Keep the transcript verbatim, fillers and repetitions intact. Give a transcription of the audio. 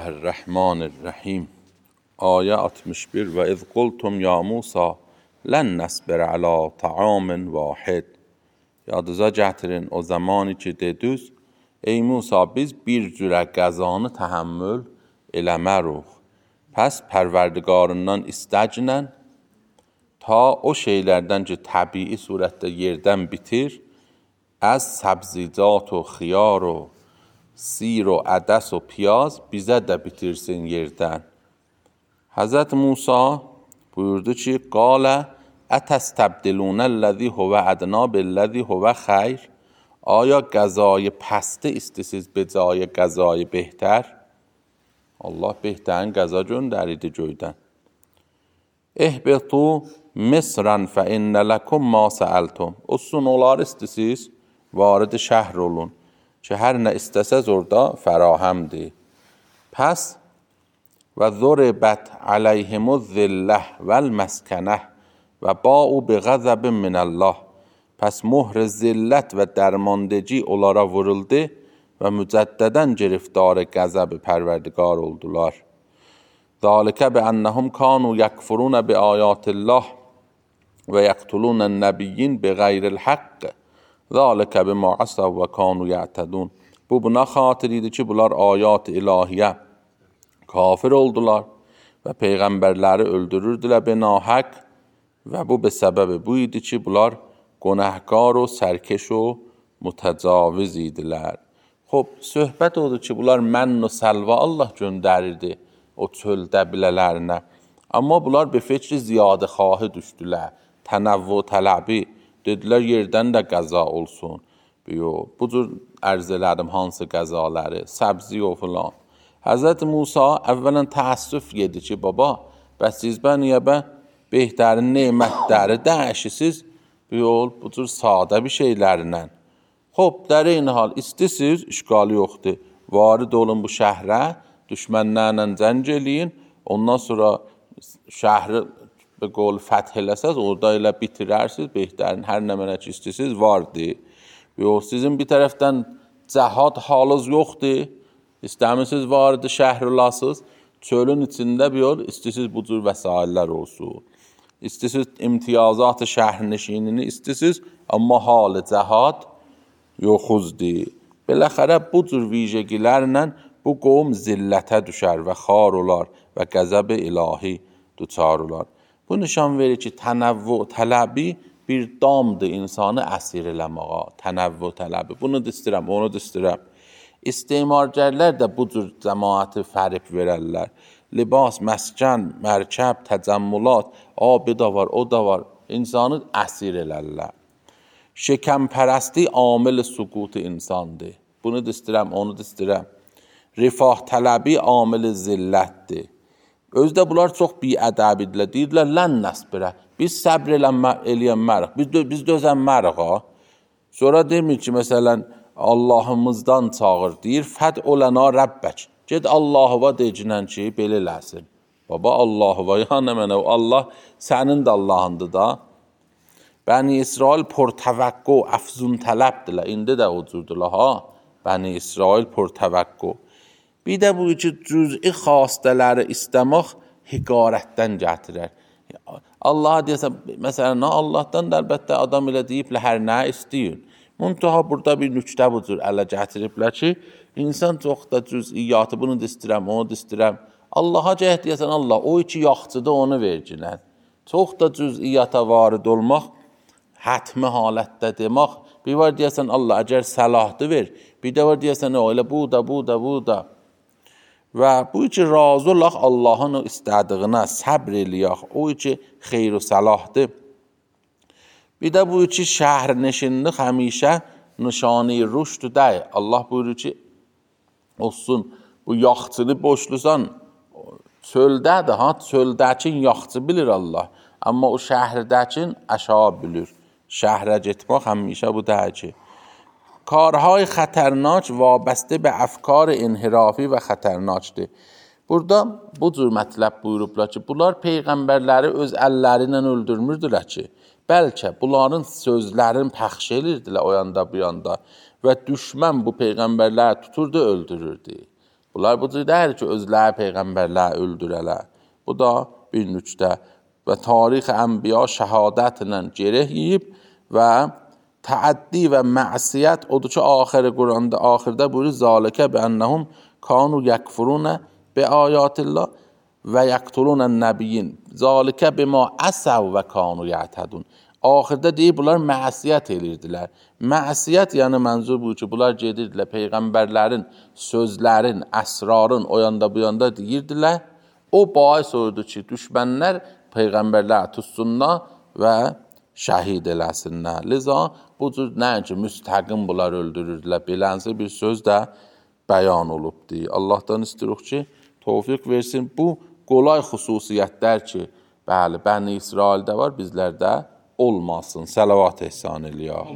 Bismillahirrahmanirrahim. Ayə altmış bir. Və iz qultum ya Musa lən nəsbirə alə ta'amin vahid. Yadınıza gətirin o zamanı ki dediniz, ey Musa biz bir cürə qəzanı təhəmmül eləməruq. Pəs pərverdigarından istəcinən ta o şeylərdən ki təbii surətdə yerdən bitir, az səbzicat و xiyar و سیر و عدس و پیاز bizə də bitirsin yerdən. Həzrət Musa buyurdu ki, qalə ətəstəbdilunə ləzi huvə ədna billəzi huvə xeyr. Aya qəzayı pəsti istəsiz be cayı qəzayı behter? Allah behterin qəza göndəridi göydən. İhbitu misran fə innə ləkum ma səəltum. O sunular istəsiz varid şəhr olun. Ki hər nə istəsəz orada fərahəmdir. Pəs və zuribət aleyhimuz zilləh vəl məskənəh və ba'u bi qəzəbin minəllah. Pəs muhr zillət və dərmandəci onlara vuruldu və mücəddədən giriftar qəzəb pərverdigar oldular. Zalikə bi ennəhum kanu yəkfurun bi ayatillah və yəqtulun nəbiyyin bi qeyril haqq. Zalikə bima asav və kanu ya'tədun. Bu buna xatir idi ki, bunlar ayat ilahiyə kafir oldular və peyğəmbərləri öldürürdülər benahaq və bu be səbəbi bu idi ki, bunlar günahkar و sərkeş و mütəcaviz idilər. Xob, söhbət odur ki, bunlar mən və səlva Allah göndərirdi o çöldə bilələrinə. Amma bunlar be fikri ziyadə xahı düşdülər, tənəvvü tələbi. Dedilər yerdən də qəza olsun. Biyo, bu cür ərz elədim hansı qəzaları, səbzi o filan. Həzrət Musa əvvələn təəssüf yedi ki, baba, bəs siz bən niyə bə behtərin nemətləri dəyişisiz, biyo, bu cür sadə bir şeylərlə. Xob, در این حال istəsiz, işqalı yoxdur. Varid olun bu şəhrə, düşmənlərlə zəng eləyin, ondan sonra şəhri به قول فتح eləsəz, orada elə bitirərsiniz, behtərin hər nə mənə ki istəsiz vardır. Yox, sizin bir tərəfdən cəhad halınız yoxdur, istəmisiniz vardı şəhər olasınız, çölün içində bir yol, istəsiz bu cür vəsaillər olsun. İstəsiz imtiyazat şəhərnişinini istəsiz, amma halı cəhad yoxuzdur. Beləxərə bu cür vijəgilərlə bu qovm zillətə düşər və xar olar və qəzəb ilahi duçar olar. Bu nişan verir ki, tənəvvü tələbi bir damdır insanı əsir eləməğa, tənəvvü tələbi. Bunu da istirəm, onu da istirəm. İstemargərlər də bu cür cəmaəti fərib verərlər. Libas, məskən, mərkəb, təcəmmülat, abi da var, o da var. İnsanı əsir elərlər. Şəkəmpərəsti amil süqut insandır. Bunu da istirəm, onu da istirəm. Rifah tələbi amil zillətdir. Özdə bunlar çox biədəbidirlər. Deyirlər, lən nəsbirə. Biz səbr eləyənmərik. Biz, dö biz dözənmərik. Sonra demir ki, məsələn, Allahımızdan çağır. Deyir, fəd olana Rəbbək. Ged Allahıva decinən ki, belə eləsin. Baba, Allahıva, ya nə mənə, Allah sənin də Allahındır da. Bəni İsrail portəvəqqo, əfzun tələbdirlər. İndi də o cürdürlər, ha? Bəni İsrail portəvəqqo. Bir də bu ki, cüz'i xastələri istəmək hiqarətdən gətirər. Allah deyəsən, məsələn, Allahdan da əlbəttə adam elə deyiblə, hər nə istəyin. Muntaha burada bir nüktə bu cür ələ gətiriblər ki, insan çox da cüz'iyyatı, bunu da istirəm, onu da istirəm. Allaha cəhət deyəsən, Allah, o iki yaxçıda onu verginən. Çox da cüz'iyyata varid olmaq, hətmi halətdə demək, bir var deyəsən, Allah, əgər səlahdı ver, bir də var deyəsən, o elə bu da, bu da, bu da. Və bu ki, razı olaq Allahın o istədiyinə səbr eləyək, o ki, xeyr-u səlahdır. Bir də bu ki, şəhər-nəşinlik həmişə nişani rüşd deyil. Allah buyurur ki, olsun, bu yaxçını boşlusan, çöldədir, ha, çöldəkin yaxçı bilir Allah. Amma o şəhrdəkin əşa bilir. Şəhrə getmək həmişə bu deyil ki, کارهای خطرناک وابسته به افکار انحرافی و خطرناکdır. Burada bu cür mətləb buyurublar ki, bunlar peyğəmbərləri öz əlləri ilə öldürmürdülər ki, bəlkə bunların sözlərini pəxş edirdilər o yanda bu yanda və düşmən bu peyğəmbərləri tuturdu, öldürürdü. Bunlar bu cür deyil ki, özləri peyğəmbərləri öldürələr. Bu da bir nüqtə. Və tarix-i ənbiya şəhadətlə gerək yiyib və təəddi və məsiyyət odur ki, axırı Quranda, axırda buyurur, zalikə bənnəhum kanu yəkfurunə bi ayatillah və yəqtulunən nəbiyyin. Zalikə bima əsəv və kanu yətədun. Axırda deyib, bunlar məsiyyət edirdilər. Məsiyyət, yəni mənzur bu ki, bunlar gedirdilər, peyğəmbərlərin, sözlərin, əsrarın o yanda bu yanda deyirdilər. O bais oldu ki, düşmənlər peyğəmbərlər tutsunlar və şəhid eləsinlər. Liza bu cür nəinki müstəqim bunlar öldürürdülər. Belənsi bir söz də bəyan olubdur. Allahdan istirik ki, tövfiq versin. Bu qolay xüsusiyyətlər ki, bəli, Bəni İsraildə var, bizlərdə olmasın. Səlavat ehsan eləyək.